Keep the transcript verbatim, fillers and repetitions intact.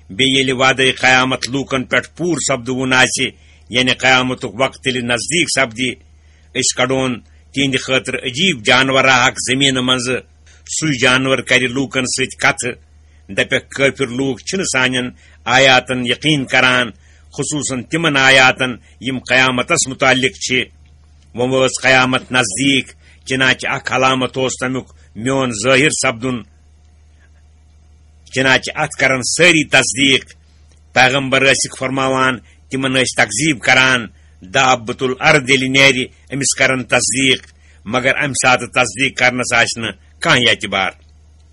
بیٚیہِ ییٚلہِ وعدے قیامت لوٗکن پٮ۪ٹھ پوٗرٕ سپدوُن آسہِ، یعنی قیامتُک وقت ییٚلہِ نزدیٖک سپدِ، أسۍ کڑون تِہنٛدِ خٲطرٕ عجیٖب جانورا اکھ زٔمیٖنہٕ منٛزٕ۔ سُے جانور کرِ لوٗکن سۭتۍ کتھٕ۔ دپٮ۪کھ، کٲفِر لوٗکھ چھِنہٕ سانٮ۪ن آیاتن یقیٖن کران، خصوٗصن تِمن آیاتن یِم قیامتس متعلق چھِ۔ وۄنۍ وٲژ قیامت نزدیٖک، چنانچہ اکھ علامت اوس تمیُک میون ظٲہر سپدُن۔ چنانچہ اتھ کرن سٲری تصدیق۔ پیغمبر ٲسکھ فرماوان، تِمن ٲسۍ تکذیب کران۔ دابۃ الارض ییٚلہِ نیرِ، أمِس کرن تصدیق، مگر امہِ ساتہٕ تصدیق کرنس آسہِ نہٕ کانٛہہ اعتبار۔